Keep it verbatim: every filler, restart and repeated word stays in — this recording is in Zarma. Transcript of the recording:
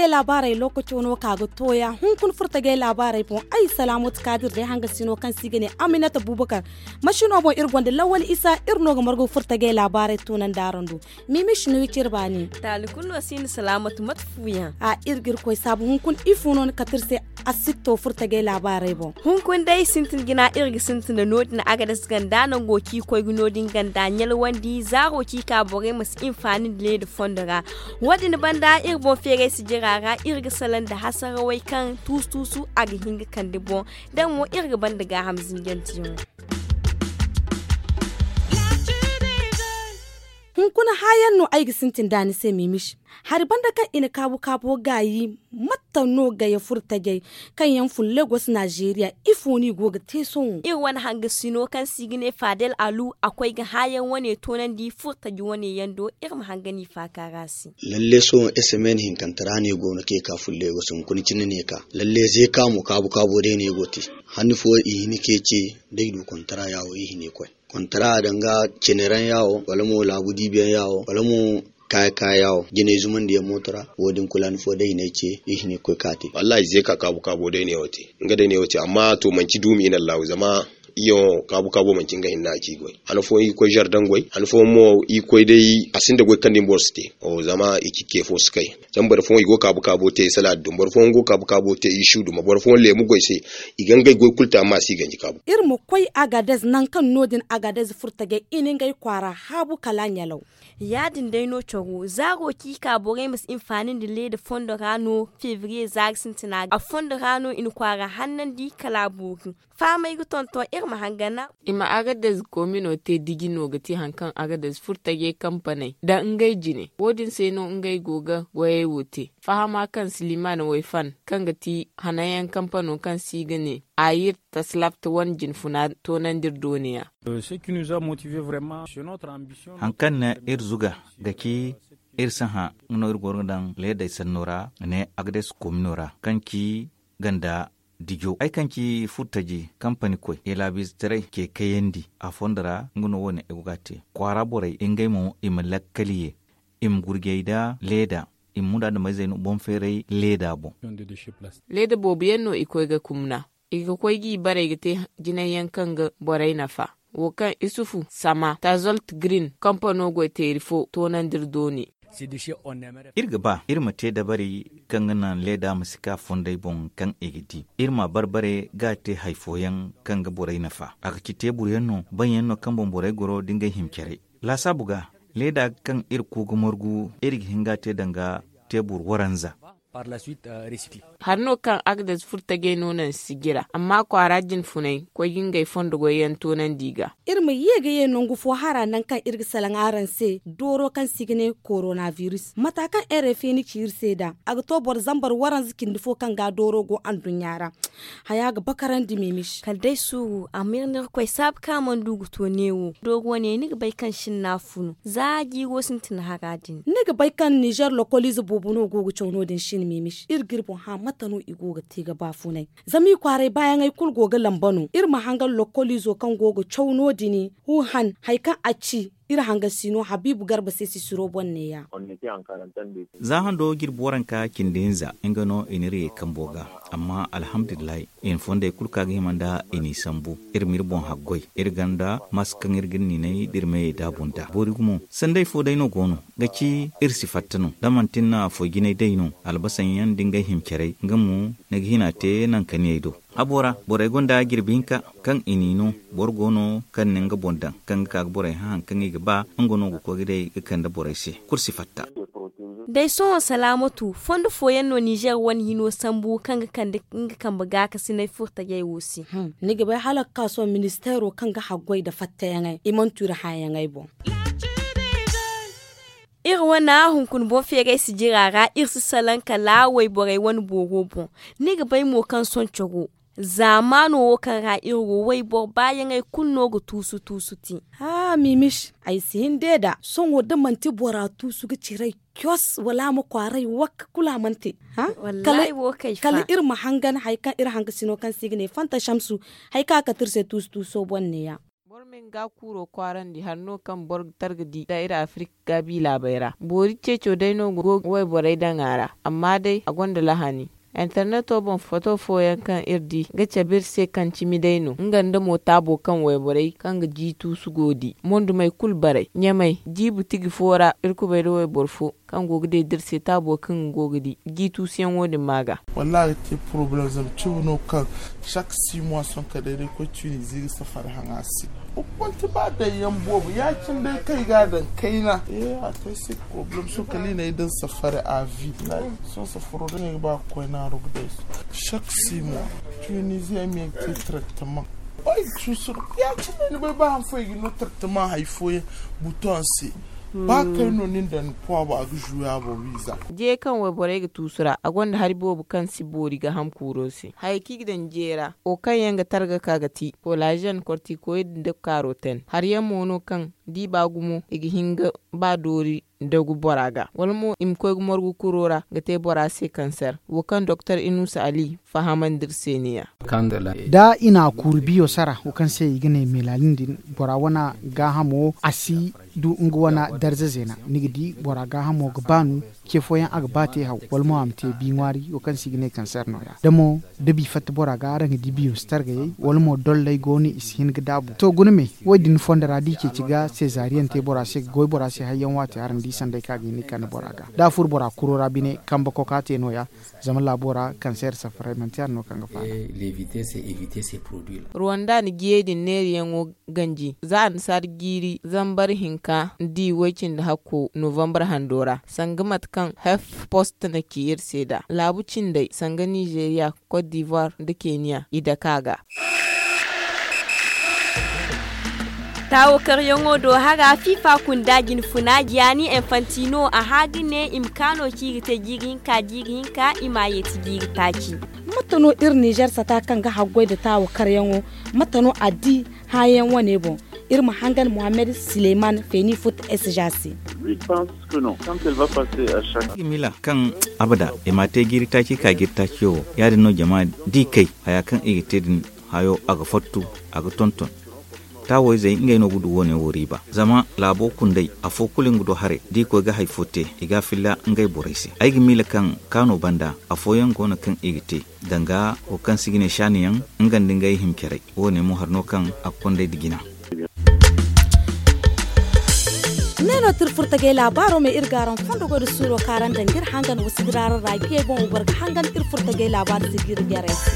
Laabaarey lookaco no ka ga tooya hunkuna furtajey laabaarey boŋ. Ay salaamatu kaadir day hangasino kaŋ se i ga ne aminata buubakar. Masino boŋ iri gonda lawal isa iri no ga margu furtajey laabaarey toonandi araŋ do. Miimis no i ci iri baani. Taali kulu no si ni salaamatu mate fuuyaŋ. A iri ga iri koy saabu hunkuna ifo no ni kate iri se. Asitto furtajey laabaarey boŋ. Hunkuna day sintin jina iri ga sintin nda no- din agades ganda nango kaŋ i koy ga no- din ganda ɲalwandi zaaro kaŋ i ka borey ma si hinfaani nda leeda fondo ra. Wo- din banda iri boŋ feeray sijira ra iri ga salaŋ nda hasarawey kaŋ tuusu tuusu a ga hin ga kande boŋ. Da mo iri ga banda gaaham zinjantiyaŋo. Hunkuna haayaŋ no ay ga sintin nd'a ni se miimis. Hari banda kaŋ i na kaabu kaabo gaayi matta no gaya furtajey kaŋ yaŋ fun legos nazeeriya? Ifo no i go ga te sohõ? Iri wane hangasino kaŋ se i ga ne faadel alu a koy ga haayaŋ wane toonandi furtaji wane yaŋ do. Iri ma hanga no i faaka ra se. Lalle sohõ esemen hinkante ra no i go no kaŋ i ka fun legos hunkuna cine no i ka lalle zeeka mo kaabu kaabo day no i go ga te. Hanni fo i hini kaŋ i ce da i du kontara ya wo i hini ga koy. Kontara danga ciniraŋ ya wo wala mo laabu diibiyaŋ ya wo wala mo kaya kaya ya wo jinay zumandiyaŋ mooto ra. Wo- din kulu hanni fo day i ne ay ce i hini ga koy ka te. Wallahi zeeka kaabu kaabo day no yaŋ wo te. Nga day no yaŋ wo te amma to manci duumi i na allahu zama i yaŋo kaabu kaabo manci nga hinne a ci goy. Han fooyaŋ i ga koy zardaŋ goy han fooyaŋ mo i ga koy day a sinda goy kaŋ din boro si te. Zama i ci ke fo si kay. Zama boro fooyaŋ i go ga kaabu kaabo te i salaadi duma boro fooyaŋ go ga kaabu kaabo te i su duma boro fooyaŋ leemu goy se. I ga ngey goy kulu te amma a si i ganji kaabu. Iri ma koy agadez nangu kaŋ no- din agadez furtajey i na ngey kwaara haabu kala ɲalaw. Ya- din day no coro zaaro kaŋ i ka borey ma si hinfaani nda leeda fondo ra no febriye zaari sintina ga a fondo ra no i na kwaara hannandi kala a boori. Fahamey ga tonton iri ma hangana. I ma agadez komino te diji no ga ti hari kaŋ agadez furtajey kampaney nda ngey jine wo- din se no ngey go ga goyey wo te. Fahama kaŋ siliman wayfan kaŋ ga ti hananyaŋ kampano kaŋ se i ga ne ayir taslapta wane jinfuna toonandi iri dooniya. Hari kaŋ na iri zuga ga ci iri si hã nga no iri go ga daŋ leedey sanno ra ne agades komino ra kaŋ ci ganda dijo ay kaŋ ci furtaji kampani koy i laabiizetaray ce kayandi a fondo ra nga no wo- ne ay go ga a te kwaara borey ngey mo i ma lakkali ye i ma gurjey nda leeda i ma munda nda mayzey no boŋ feeray leeda boŋ. Leeda boobo yaŋ no i koy ga kumna i ga koy ga i barey ga te jinay yaŋ kaŋ ga borey nafa wo kaŋ isufu sama tazolt green kampano goy teeri fo toonandi iri dooni. Iri ga ba iri ma te dabari kaŋ ga naŋ leeda ma si ka fonday boŋ kaŋ i ga di iri ma a barbare ga a te hari fooyaŋ kaŋ ga borey nafa a ga ci teebur yaŋ no baŋ yaŋ no kaŋ boŋ borey goro da ngey hima care. Laasaabu ga leeda kaŋ iri ku ga margu iri ga hin ga a te danga teebur waranza. Hari no kaŋ agdes furtajey no naŋ sijira amma kwaara jinfunay koy ga ngey fondo goyyaŋ toonandi i ga. Iri ma ye ga ye nangu fo hara nangu kaŋ iri ga salaŋ araŋ se dooro kaŋ se i ga ne koronabiris mata kaŋ rfi na ci iri se nd'a a ga to boro zambar waranza cindi fo kaŋ ga dooro go anduɲɲa ra. Haya ga bakarandi mimis kala day suuru amma iri na iri koy saabu kaŋ a mana du ga to neewo dooro wane ni ga bay kaŋ sinna funu za jiiro sintin hara din. Ni ga bay kaŋ nizer lokoliize boobo no go ga caw no- din sine mimis iri ga iri boŋ hã mate no i go ga te ga baafunay. Zama i kwaaray baayaŋey kulu go ga lamba no iri ma hangan lokoliizo kaŋ go ga caw no- din. Huuhan hari kaŋ a ci iri hangasino habiibu garba se sisiro boŋ neeya. Za hando jirbi waranka cindi hinza nga no i n'iri ye kambo ga. Amma alhamdulillahi i na fondey kulu ka ga hima nda i n'i sambu. Iri m'iri boŋ haggoy iri ganda maasa kaŋ iri ga iri niinay da iri meyey daabu nd'a boori gumo sanday fo day no go no ga ci iri si fatta no da manti ni na foy jinay day no albasaŋ yaŋ da ngey hima carey nga mo ni ga hina te nankaniyey do. Habo ra borey gonda jirbi hinka kaŋ i n'i no boro go no kaŋ na nga boŋ daŋ kaŋ ga ka ga borey hã hari kaŋ i ga ba nga no ga koy ga day ga kande borey se kulu si fatta. Day sohõ salaamatu fondo fooyaŋ no nizer wane hino sambu kaŋ ga kande nga kambe gaakasinay furtajey wo se. Ni ga bay hala ga ka sohõ ministeero kaŋ ga haggoy nda fattayaŋey i mana tu iri hãyaŋey boŋ. Iri wane hunkuna boŋ feeray sijira ra iri si salaŋ kala wayborey wane booro boŋ. Ni ga bay mo kaŋ sohõ coro zaamaano wo kaŋ ra iri go wayboro baayaŋey kulu no ga tuusu tuusu te. Haa miimiš, ay si hin de nd'a sohõ da manti bora tuusu ga ciray cos wala a ma kwaaray wakka kulu a mana te. Kala iri ma hangan hari kaŋ iri hangasino kaŋ se i ga ne fanta samsu hari kaŋ a kate iri se tuusu tuuso boŋ neeya. Ga kuuro kwaarandi hari no kaŋ boro ga targa di nda iri afirika gaabi laabey ra boori ceeco day no go wayborey daŋ a ra. Amma day a gonda lahani interneto boŋ foto fooyaŋ kaŋ iri di ga cabe iri se kaŋ cimi day no nga nda mo taabo kaŋ wayborey kaŋ ga jiituusu go di mondumey kulu baray ɲamey jiibu tigi fo ra iri kubay nda wayboro fo kaŋ go ga deeda iri se taabo kaŋ go ga di jiituusuyaŋo din ma ga. Wallaahi a ga te porobalem zama cimi no kaŋ saka sii mois sohõ kala day day koy tunizi ga safari haŋ a se. Hukumante ba daŋ yaŋ boobo ya- cine day kaŋ i ga a daŋ kayna a te ay se porobalem sohõ kala i na ay daŋ safari a vi. Sohõ safaro day no ay ga ba ga koy naaru ga day. Saka sii mois tunizi ay ma ye ga te taraktamaŋ. Ay ga suusu no ya- cine day ni bay ba han fooyaŋ i ga ni no taraktamaŋ hari fooyaŋ buton se. Ba kay no nin daŋ ni poibo a ga zuuya boŋ wiiza. Diya kaŋ wayborey ga tuusu ra a gonda hari boobo kaŋ si boori gaaham kuuro se haya kaŋ i ga daŋ jeera wo kaŋ yaŋ ga targa ka ga ti kolazen kortikoyid nda karoten hari yaŋ mo no kaŋ da i ba gumo i ga hin ga ba doori dagu bora ga wala mo i ma koy ga morgu kuro ra ga te bora se kanser wo kaŋ doktor inusa ali fahamandi iri se ne- ya. Da i na a kuuru biyo sara wo kaŋ se i ga ne melalin din bora wane gaahamo a si du nga wane darza zeena ni ga di bora gaahamo ga baanu. Ce fooyaŋ a ga ba te haw wala mo a ma te bi ŋwaari wo kaŋ se i ga ne kanser no- ya da mo da bi fatta bora ga araŋ ga di biyo si targayey wala mo dolley go no i si hin ga daabu to guna me. Wo- din fondo ra da i ceeci ga sezariyaŋ te bora se ga goy bora se hayyaŋ waati araŋ di sanday kaŋ a ga hin ga kande bora ga da a furo bora kuro ra bine kambe koka te no- ya. Zama laabo ra kanser safaray manti hari no kaŋ ga faala. Ruwanda na jiyey din neeriyaŋo ganji za annasaara jiiri zambar hinka nda i way cindi hakko novambar hando ra sanga mate kaŋ hef post na ci iri se nd'a laabu cindey sanga nizeeriya kot divoire nda keniya i dake a ga. Taawo karyaŋo do hara fifa kunda jinfuna giyanni infantino a hã ga ne i ma kaano ci i ga te jiiri hinka jiiri hinka i m'a yeeti jiiri taaci. Mate no iri nizer sata kaŋ ga haggoy nda taawo karyaŋo? Mate no a di hãayaŋ wane boŋ? Iri ma hangan mohammed sileyman feeni fut s ja se. Miila kaŋ abada i m'a te jiiri taaci ka jiiri taaciyo wo ya- din no jama da i kay haya kaŋ i ga te din hayo a ga fattu a ga tonton. Taawayzey ngey no ga du wo- ne wo riiba zama laabo kundey afo kulu nga du haray da i koy ga hari fo te i ga a filla ngey borey se ay ga miila kaŋ kaano banda afooyaŋ go no kaŋ i ga te danga wo kaŋ se i ga ne saaniyaŋ nga nda ngey hima caray. Wo- ne mo hari no kaŋ a ga konday nda jina. Ne no tirfurtagay laabaaro me iri ga araŋ fondo goy nda suuro kaŋ araŋ daŋ ga iri hangan wasidiraara ra giyey boŋ wo boro ga hangan tirfurtagay laabaaro se ga iri jarey se.